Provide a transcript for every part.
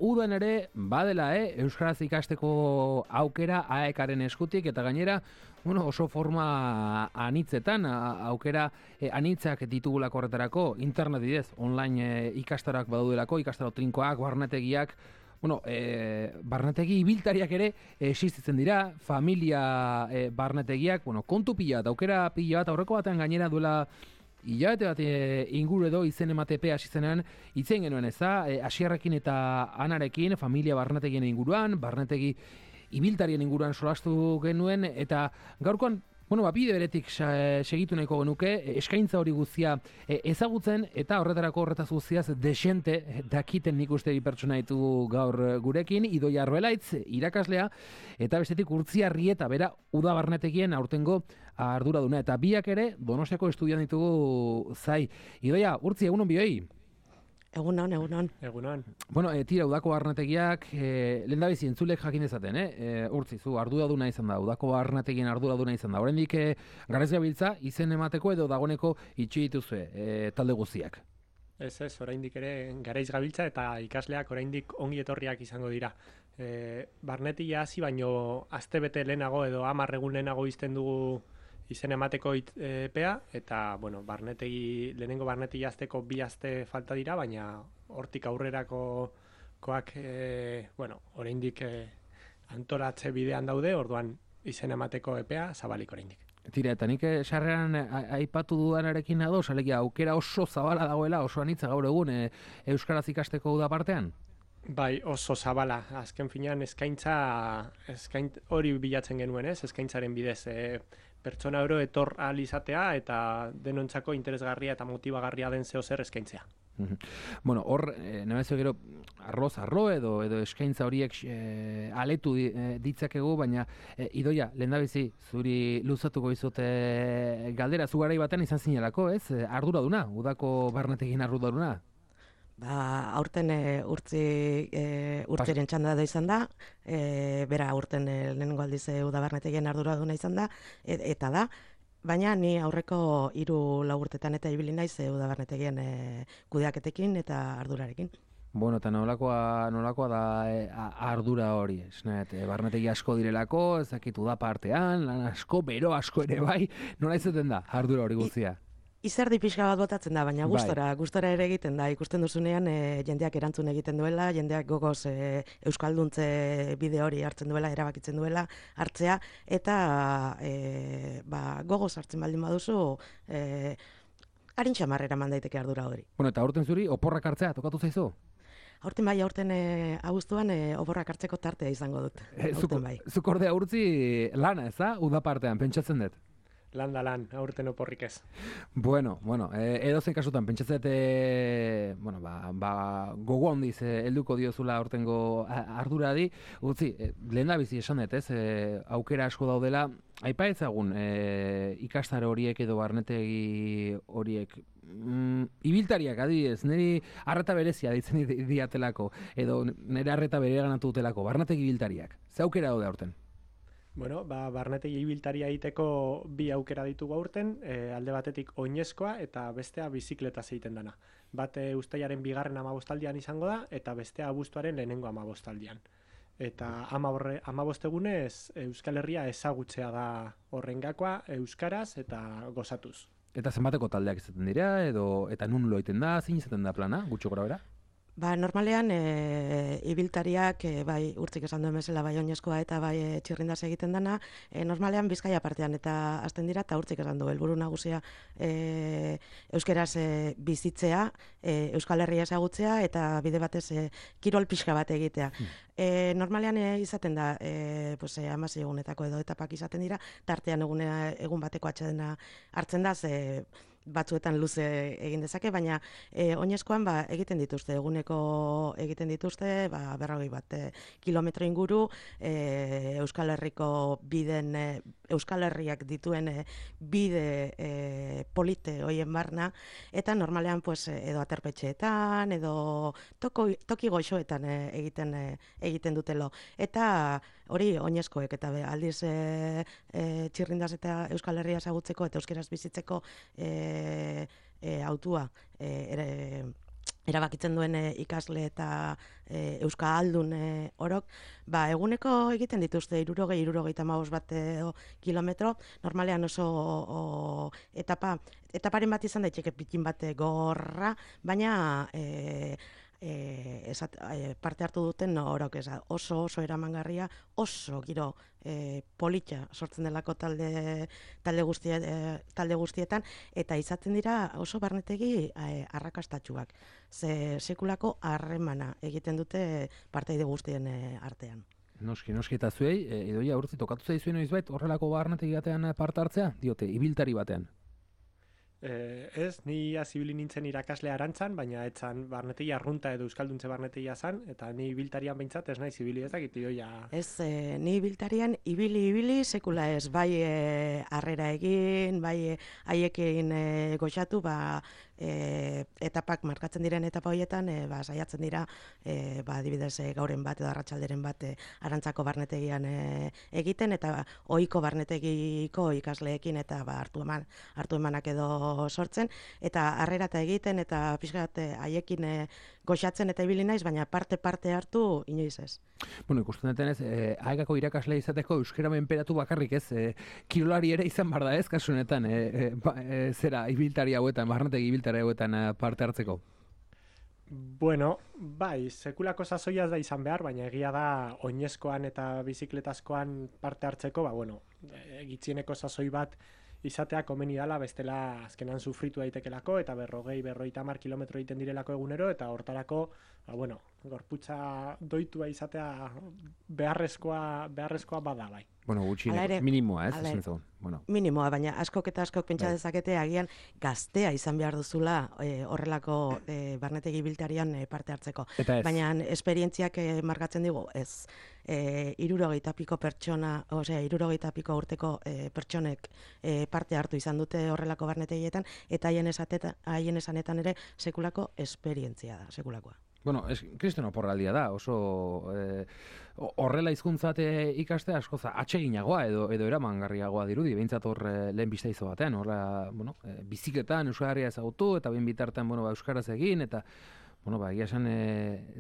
udan ere badela, euskaraz ikasteko aukera AEK-aren eskutik, eta gainera, oso forma anitzetan, aukera anitzak ditugulako horretarako, internet bidez, online ikastaroak badaudelako, ikastaro trinkoak, barnetegiak, barnetegi ibiltariak ere existitzen dira, familia barnetegiak, kontu pila bat, aukera pila bat, aurreko batean gainera duela hilabete bat inguru edo izen ematepe hasi zenean itzen genuen Asierrekin eta Anarekin familia barnetegien inguruan, barnetegi ibiltarien inguruan solastu genuen, eta gaurkoan bide beretik segitu nahiko genuke, eskaintza hori guztia ezagutzen, eta horretaz guztiaz desente dakiten nik uste bi pertsona ditu gaur gurekin, Idoia Arbelaitz, irakaslea, eta bestetik Urtzi Arrieta, bera uda barnetegien aurtengo arduraduna, eta biak ere Donostiako estudian ditugu zai. Idoia, Urtzi, egunon bioi? Egunon. Tira, udako barnetegiak, lehendabizi entzulek jakin dezaten, Urtzi, zu arduraduna izan da, udako barnetegien arduraduna izan da. Oraindik garez gabiltza, izen emateko edo dagoeneko itxi dituzue talde guztiak. Ez, oraindik ere garaiz gabiltza eta ikasleak oraindik ongi etorriak izango dira. Barnetegia hasi baino astebete lehenago edo 10 egun lehenago izten dugu izen emateko epea, eta, lehenengo barnetegi azteko 2 aste falta dira, baina hortik aurrerakoak, oraindik antolatze bidean daude, orduan izen emateko epea zabalik oraindik. Tira, eta nik sarreran aipatu dudanarekin ados, alegia aukera oso zabala dagoela, oso anitza gaur egun euskaraz ikasteko uda partean? Bai, oso zabala. Azken finean eskaintza hori bilatzen genuen, eskaintzaren bidez. Pertsona oro etor ahal izatea eta denontzako interesgarria eta motibagarria den zeozer eskaintzea. Hor, nebezio gero, arro edo eskaintza horiek aletu ditzakegu, baina Idoia, lehendabizi, zuri luzatuko izute galdera, zu garai batean izan zinelako, ez? Arduraduna, udako barnetegin arduraduna? Aurten urtziren txanda da izan da, bera aurten lehenengo aldiz udabarnetegien arduraduna izan da, eta da, baina ni aurreko 3-4 urtetan eta ibili naiz udabarnetegien kudeaketekin eta ardurarekin. Eta nolakoa da ardura hori, barnetegi asko direlako, ez dakit uda partean, lan asko, bero asko ere bai, nola izaten da ardura hori guztia? Izerdi pixka bat botatzen da, baina gustora ere egiten da. Ikusten duzunean jendeak erantzun egiten duela, jendeak gogoz euskalduntze bide hori hartzen duela, erabakitzen duela hartzea, eta gogoz hartzen baldin baduzu harin txamarrera mandaiteke ardura hori. Eta aurten zuri oporrak hartzea, tokatu zaizu? Aurten abuztuan oporrak hartzeko tartea izango dut. Zuk ordea Urtzi lana, ez da? Uda partean, pentsatzen dut. Lan, aurten oporrik ez. Edozein kasutan, pentsatzet, gogo handiz helduko diozula aurtengo arduradi. Utzi, lehen da bizi esan dut, aukera asko daudela, aipa ezagun ikastaro horiek edo barnetegi horiek, ibiltariak adibidez, niri arreta berezia ditzen diatelako, edo nire arreta bereganatu dutelako, barnetegi ibiltariak. Ze aukera daude aurten? Barnetegi ibiltaria egiteko 2 aukera ditugu aurten, alde batetik oinezkoa eta bestea bizikletaz egiten dana. Bat uztailaren 2. 15 izango da, eta bestea abuztuaren lehenengo 15. Eta 15 egunez Euskal Herria ezagutzea da horrengakoa, euskaraz eta gozatuz. Eta zenbateko taldeak izaten dira, eta nun lo egiten da, zein izaten da plana, gutxo gora bera? Normalean, ibiltariak, bai urtzik esan duen bezala, bai oinezkoa eta bai txirrindaz egiten dana, normalean Bizkaia partean eta hasten dira, eta urtzik esan du, helburu nagusia euskeraz bizitzea, Euskal Herria ezagutzea, eta bide batez kirol pixka bat egitea. Normalean izaten da, 16 egunetako edo etapak izaten dira, tartean egun bateko atsedena hartzen da, batzuetan luze egin dezake, baina oinezkoan egiten dituzte, eguneko egiten dituzte, 40 kilometro inguru, Euskal Herriko biden, Euskal Herriak dituen bide polite hoien barna, eta normalean edo aterpetxeetan, edo toki goxoetan egiten dutelo. Eta hori oinezkoek, eta aldiz txirrindaz eta Euskal Herria ezagutzeko eta euskeraz bizitzeko autua erabakitzen duen ikasle eta euskaldun orok, eguneko egiten dituzte 60-65 bat kilometro, normalean oso etaparen bat izan daiteke pikin bat gorra, baina parte hartu duten orok oso eramangarria, oso giro politxa sortzen delako talde guztietan, eta izaten dira oso barnetegi arrakastatsuak. Sekulako harremana egiten dute partaide guztien artean. Noski, eta zuei, Idoia Urtzi, tokatu zaizuen noizbait horrelako barnetegi batean parte hartzea? Diote, ibiltari batean. Ez, ni azibili nintzen irakasle arantzan, baina etzan barnetegi arrunta edo euskalduntze barnetegia zan, eta ni ibiltarian behintzat ez nahi zibili ezakit, Idoia. Ez, ni ibiltarian ibili, sekula ez, bai harrera egin, bai haiekin goxatu, etapak markatzen diren etapa horietan, saiatzen dira, adibidez gauren bat edo arratsalderen bat arantzako barnetegian egiten, eta ohiko barnetegiko ikasleekin eta hartu emanak edo sortzen, eta harrera eta egiten, eta pixkat haiekin goxatzen eta ibili naiz, baina parte hartu inoiz ez. Bueno, ikusten duten ez, aekako irakasle izateko euskera menperatu bakarrik ez, kirolari ere izan bar da ez, kasu honetan, zera ibiltari hauetan, barnetegi ibiltari hauetan parte hartzeko? Bueno, bai, sekulako sasoia da izan behar, baina egia da oinezkoan eta bizikletazkoan parte hartzeko, gitzieneko sasoi bat izatea komeni dala, bestela azkenan sufritu daitekelako, eta 40-50 kilometro egiten direlako egunero, eta hortarako, gorputza doitua izatea beharrezkoa bada bai. Bueno, gutxieneko, minimoa ez, esan zaun. Minimoa, baina askok pentsa dezakete agian gaztea izan behar duzula horrelako barnetegi ibiltarian parte hartzeko. Baina esperientziak markatzen digu, ez. 60 piko pertsona, 60 piko urteko pertsonek parte hartu izan dute horrelako barnetegietan, eta haien esanetan ere sekulako esperientzia da, sekulakoa. Bueno, kristono porraldia da, oso horrela hizkuntzat ikastea askoza atseginagoa edo eramangarriagoa dirudi, behintzat hor lehen biztaizo batean, bizikletan Euskal Herria ezagutu, eta behin bitartean euskaraz egin, eta egia esan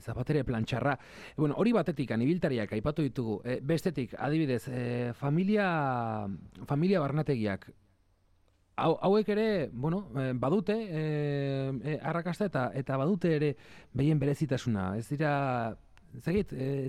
zapatere plantxarra. Hori batetik, ibiltariak aipatu ditugu, bestetik, adibidez, familia barnetegiak, hauek ere, badute arrakasta eta badute ere behien berezitasuna. Ez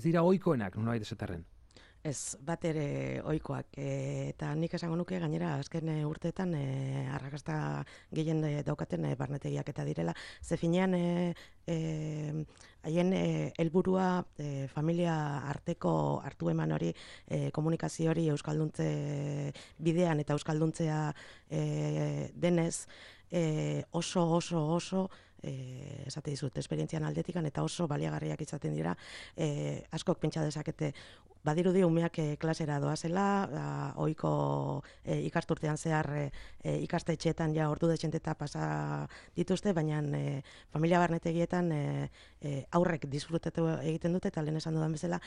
dira ohikoenak, nolabait esaterren. Ez, bat ere ohikoak, eta nik esango nuke gainera azken urteetan arrakasta gehien daukaten barnetegiak eta direla. Ze finean haien helburua familia arteko hartu eman hori, komunikazio hori euskalduntze bidean eta euskalduntzea denez, oso esate dizut, esperientzian aldetikan eta oso baliagarriak izaten dira, askok pentsa dezakete badirudi umeak klasera doazela, ohiko ikasturtean zehar ikastetxeetan ja ordu dezenteta pasa dituzte, baina familia barnetegietan aurrek disfrutatu egiten dute, eta lehen esan dudan bezala,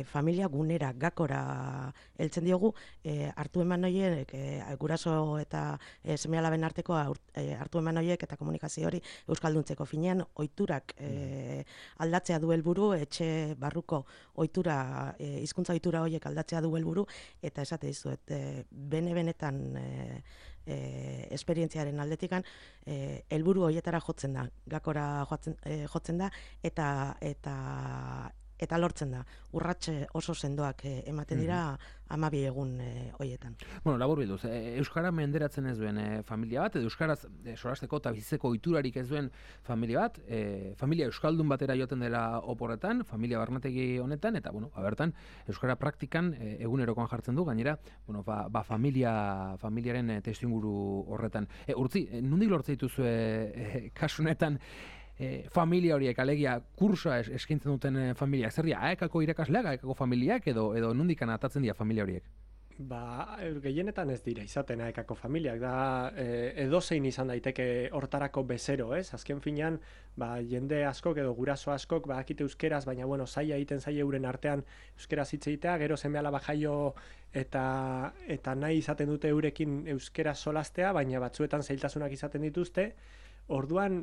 familia gunera, gakora heltzen diogu, hartu eman horiek, guraso eta seme-alaben arteko hartu eman horiek eta komunikazio hori euskalduntzeko finean, ohiturak aldatzea du helburu, etxe barruko ohitura, hizkuntza ohitura horiek aldatzea du helburu, eta esate dizuet, benetan esperientziaren aldetikan helburu horietara jotzen da, gakora jotzen da, eta lortzen da. Urratxe oso sendoak ematen dira 12 egun horietan. Labur bilduz, euskara menderatzen ez duen familia bat, edo euskaraz solasteko eta bizitzeko ohiturarik ez duen familia bat, familia euskaldun batera joaten dela oporretan, familia barnetegi honetan, eta bertan euskara praktikan egunerokoan jartzen du, gainera, familiaren testuinguru horretan. Urtzi, nondik lortzen dituzue kasu honetan familia horiek, alegia kursoa eskaintzen duten familiak, zer dira, aekako irakasleak, aekako familiak, edo nondikan atatzen dira familia horiek? Gehienetan ez dira izaten aekako familiak, da edozein izan daiteke hortarako bezero, ez? Azken finean, jende askok edo guraso askok badakite euskeraz, baina zaila egiten zaila euren artean euskeraz hitz egitea, gero seme-alaba jaio eta nahi izaten dute eurekin euskeraz solastea, baina batzuetan zailtasunak izaten dituzte, Orduan,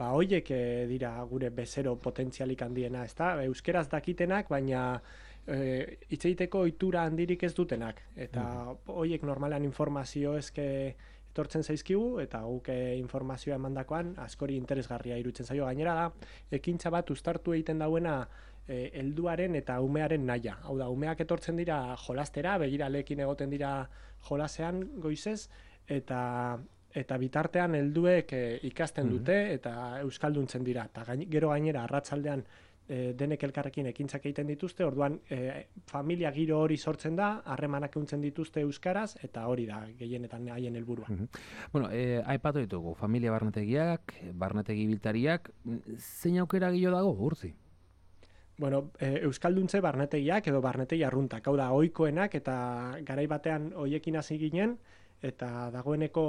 hoiek dira gure bezero potentzialik handiena, ezta? Euskeraz dakitenak, baina hitz egiteko ohitura handirik ez dutenak. Eta hoiek normalean informazio eske etortzen zaizkigu, eta guk informazioa emandakoan askori interesgarria irutzen zaio. Gainera da, ekintza bat uztartu egiten dauena helduaren eta umearen naia. Hau da, umeak etortzen dira jolastera, begiralekin egoten dira jolasean goizez, eta bitartean helduek ikasten dute eta euskalduntzen dira. Eta gero gainera arratsaldean denek elkarrekin ekintzak egiten dituzte, orduan familia giro hori sortzen da, harremanak ehuntzen dituzte euskaraz, eta hori da gehienetan haien helburua. Bueno, aipatu ditugu, familia barnetegiak, barnetegi biltariak, zein aukera gehiago dago, Urtzi? Bueno, euskalduntze barnetegiak edo barnetegi arruntak, hau da, ohikoenak eta garai batean hoiekin hasi ginen, eta dagoeneko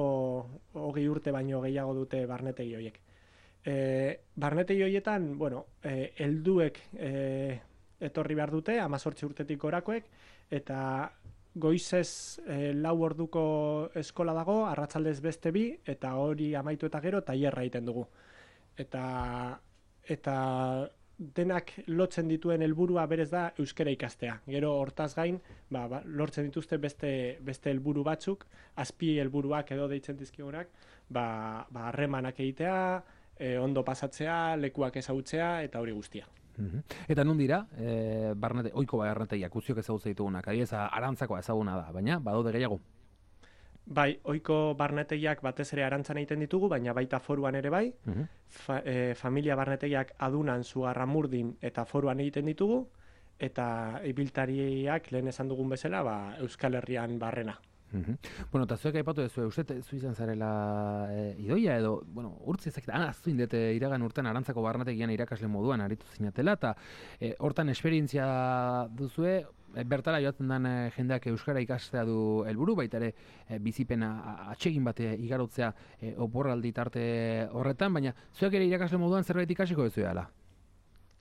20 urte baino gehiago dute barnetegi hoiek. Barnetegi hoietan, bueno, helduek etorri behar dute, 18 urtetik gorakoek, eta goizez 4 orduko eskola dago, arratsaldez beste 2, eta hori amaitu eta gero tailerra egiten dugu. Eta denak lotzen dituen helburua berez da euskara ikastea. Gero hortaz gain, lortzen dituzte beste helburu batzuk, azpi helburuak edo deitzen dizkigunak, harremanak egitea, ondo pasatzea, lekuak ezagutzea eta hori guztia. Eta nun dira, ohiko barnetegiak guztiok ezagutzen ditugunak, adibidez Arantzakoa ezaguna da, baina badaude gehiago. Bai, ohiko barnetegiak batez ere Arantzan egiten ditugu, baina baita Foruan ere bai. Familia barnetegiak Adunan, Zugarramurdin eta Foruan egiten ditugu, eta ibiltariak lehen esan dugun bezala, Euskal Herrian barrena. Bueno, eta zuek aipatu duzu, uste zu izan zarela idoia edo, bueno, Urtzi ezakit, aztuin dute iragan urtean Arantzako barnetegian irakasle moduan aritu zinatela, eta hortan esperientzia duzue, bertara joaten den jendeak euskara ikastea du helburu, baita ere bizipena atsegin bat igarotzea oporraldi tarte horretan, baina zuek ere irakasle moduan zerbait ikasiko duzu dela?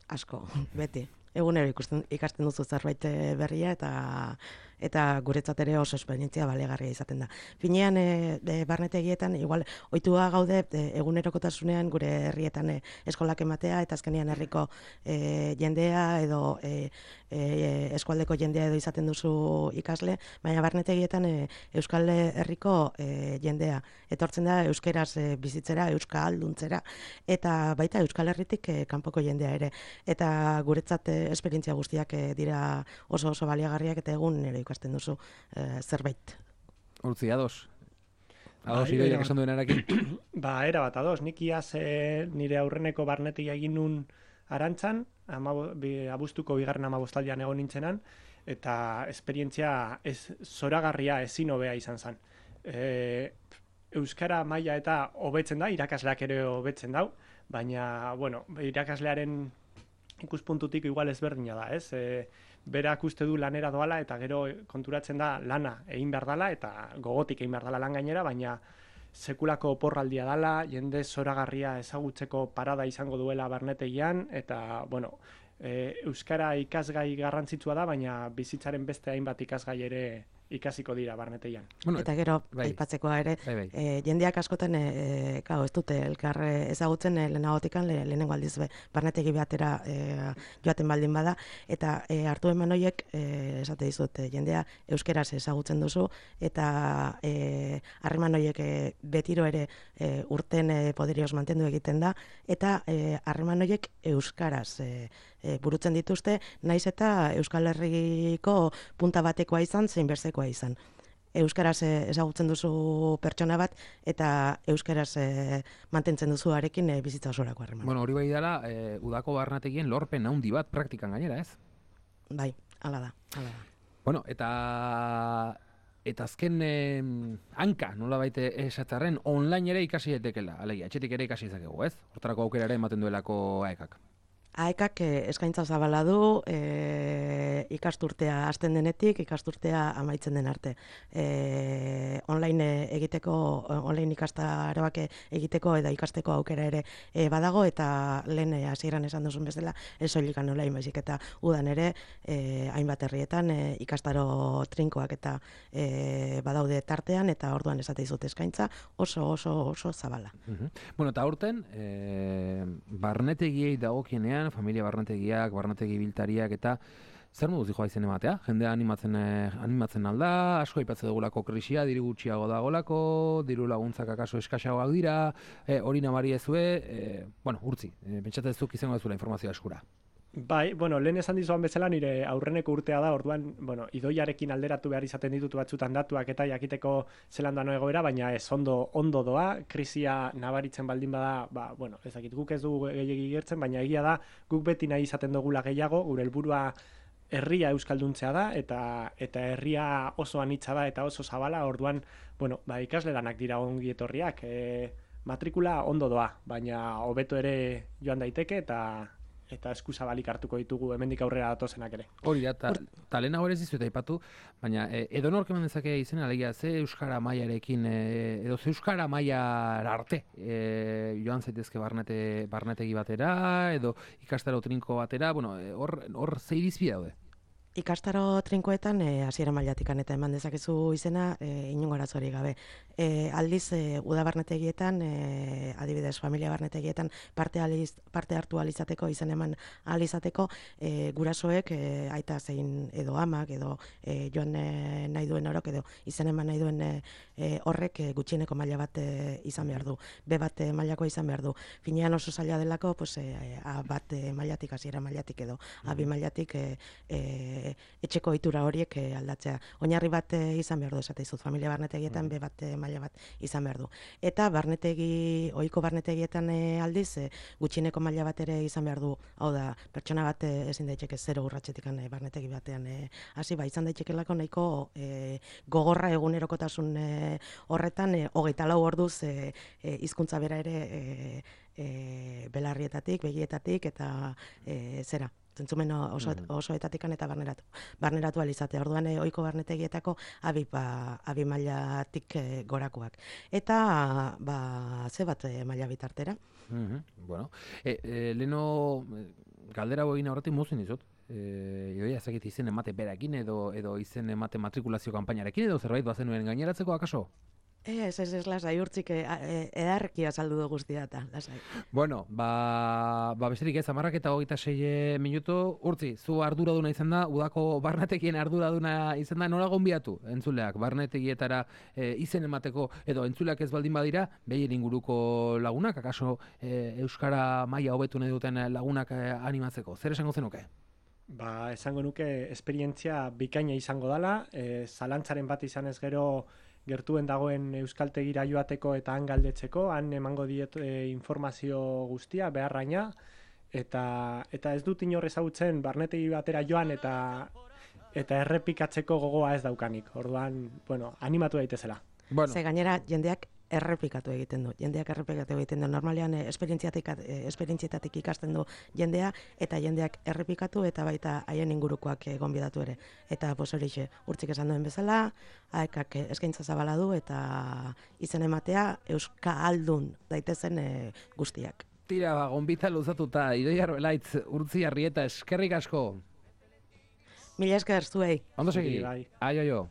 Asko, beti. Egunero ikasten duzu zerbait berria eta guretzat ere oso esperientzia balegarria izaten da. Finean barnetegietan igual ohitua gaude egunerokotasunean gure herrietan eskolak ematea eta azkenean herriko jendea edo eskualdeko jendea edo izaten duzu ikasle, baina barnetegietan Euskal Herriko jendea etortzen da euskeraz bizitzera, euskalduntzera eta baita Euskal Herritik kanpoko jendea ere. Eta guretzat esperientzia guztiak dira oso baliagarriak eta egunero ikasten duzu zerbait. Urtzi, ados? Ados idoiak esan duen erakin? Erabat, ados. Nik iaz nire aurreneko barnetegia egin nun Arantzan, abuztuko 2. 15 egon nintzenan, eta esperientzia zoragarria ezin hobea izan zen. Euskara maila eta hobetzen da, irakasleak ere hobetzen dau, baina, bueno, irakaslearen ikuspuntutik igual ezberdina da, ez? Berak uste du lanera doala eta gero konturatzen da lana egin behar dela eta gogotik egin behar dela lan gainera, baina sekulako oporraldia dela, jende zoragarria ezagutzeko parada izango duela barnetegian, eta, bueno, euskara ikasgai garrantzitsua da, baina bizitzaren beste hainbat ikasgai ere ikasiko dira barnetegian. Bueno, eta gero, aipatzekoa ere, jendeak askotan, ez dute elkar ezagutzen lehenagotikan, lehenengo aldiz barnetegi behatera joaten baldin bada, eta hartu eman horiek, esate dizut, jendea euskeraz ezagutzen duzu, eta harreman horiek betiro ere urten poderioz mantendu egiten da, eta harreman horiek euskaraz burutzen dituzte, naiz eta Euskal Herriko punta batekoa izan, zein berzekoa izan. Euskaraz ezagutzen duzu pertsona bat, eta euskaraz mantentzen duzu arekin bizitza osorako harreman. Bueno, hori bai dela, udako barnetegien lorpen handi bat praktikan gainera, ez? Bai, hala da. Bueno, eta azken hanka, nola baite esatzarren, online ere ikasi daitekela, alegia, etxetik ere ikasi izakegu, ez? Hortarako aukera ere ematen duelako AEKak. AEKak eskaintza zabala du ikasturtea hasten denetik, ikasturtea amaitzen den arte. Online online ikastaroak egiteko eta ikasteko aukera ere badago, eta lehen hasieran esan duzun bezala, ez soilik online baizik eta udan ere hainbat herrietan ikastaro trinkoak eta badaude tartean, eta orduan esate dizut eskaintza oso zabala. Bueno, eta aurten, barnetegiei dagokienean, familia barnetegiak, barnetegi biltariak, eta zer moduz dijoa izen ematea? Jendea animatzen alda, asko aipatzen dugulako krisia, diru gutxiago dagolako, diru laguntzak akaso eskaxagoak dira, hori nabari ezue, bueno, urtzi, pentsatzezuk izango dezula informazioa eskura. Bai, bueno, lehen esan dizuan bezala nire aurreneko urtea da, orduan, bueno, idoiarekin alderatu behar izaten ditut batzutan datuak eta jakiteko zelan dano egoera, baina ez ondo doa, krisia nabaritzen baldin bada, bueno, ezakit guk ez dugu gehiegi gertzen, baina egia da, guk beti nahi izaten dugula gehiago, gure helburua herria euskalduntzea da, eta herria oso anitza da eta oso zabala, orduan, bueno, ikasle danak dira ongi etorriak, matrikula ondo doa, baina hobeto ere joan daiteke, eta eskuzabalik hartuko ditugu hemendik aurrera datozenak ere. Hori da, eta lehen hau ere zizueta ipatu, baina edonork eman dezake izena, alegia, ze euskara mailarekin, edo ze euskara mailara arte joan zaitezke barnetegi batera, edo ikastaro trinko batera, bueno, hor ze irizpide daude? Ikastaro trinkoetan hasiera mailatikan eta eman dezakezu izena inongo arazorik gabe. Aldiz uda barnetegietan, adibidez familia barnetegietan parte hartu alizateko, izan eman alizateko, gurasoek aita zein edo amak edo joan nahi duen orok edo izan eman nahi duen horrek gutxieneko maila bat izan behar du. B bat mailakoa izan behar du. Finean oso zaila delako, pues, A bat mailatik, hasiera mailatik edo A bi mailatik etxeko ohitura horiek aldatzea. Oinarri bat izan behar du, esate dizut, familia barnetegietan B bat maila bat izan behar du. Eta ohiko barnetegietan aldiz gutxieneko maila bat ere izan behar du. Hau da, pertsona bat ezin daiteke 0 urratsetik barnetegi batean hasi, izan daitekelako nahiko gogorra egunerokotasun horretan 24 orduz hizkuntza bera ere belarrietatik, begietatik eta zera. Zentzumen osoetatikan eta barneratu alizatea. Orduan ohiko barnetegietako abi mailatik gorakoak. Eta ze bat maila bitartera. Bueno, leno galdera egin aurretik mozin dizut. Joia ezagit izen emate berakin edo izen emate matrikulazio kanpainarekin edo zerbait bazenuen gaineratzeko akaso? Ez, lasai, urtzik edarrekia saldu du guztia eta, lasai. Bueno, besterik ez, 10:26 minutu, urtzi, zu arduraduna izan da, udako barnetekien arduraduna izan da, nola gonbiatu, entzuleak, barnetegietara izen emateko, edo entzuleak ez baldin badira, behien inguruko lagunak, akaso euskara maila hobetu nahi duten lagunak animatzeko, zer esango zenuke? Esango nuke esperientzia bikaina izango dela, zalantzaren bat izan ez gero gertuen dagoen euskaltegira joateko eta han galdetzeko, han emango diet informazio guztia, beharraina, eta ez dut inor ezagutzen barnetegi batera joan eta errepikatzeko gogoa ez daukanik. Orduan, bueno, animatu daitezela. Ze gainera jendeak errepikatu egiten du. Normalean esperientzietatik ikasten du jendea, eta jendeak errepikatu eta baita haien ingurukoak gonbidatu ere. Eta horixe, urtzik esan duen bezala, AEKak eskaintza zabala du eta izen ematea euskaldun daitezen guztiak. Tira, gonbita luzatuta, Idoia Arbelaitz, Urtzi Arrieta, eskerrik asko. Mila esker zuei. Ondo segi. Aio.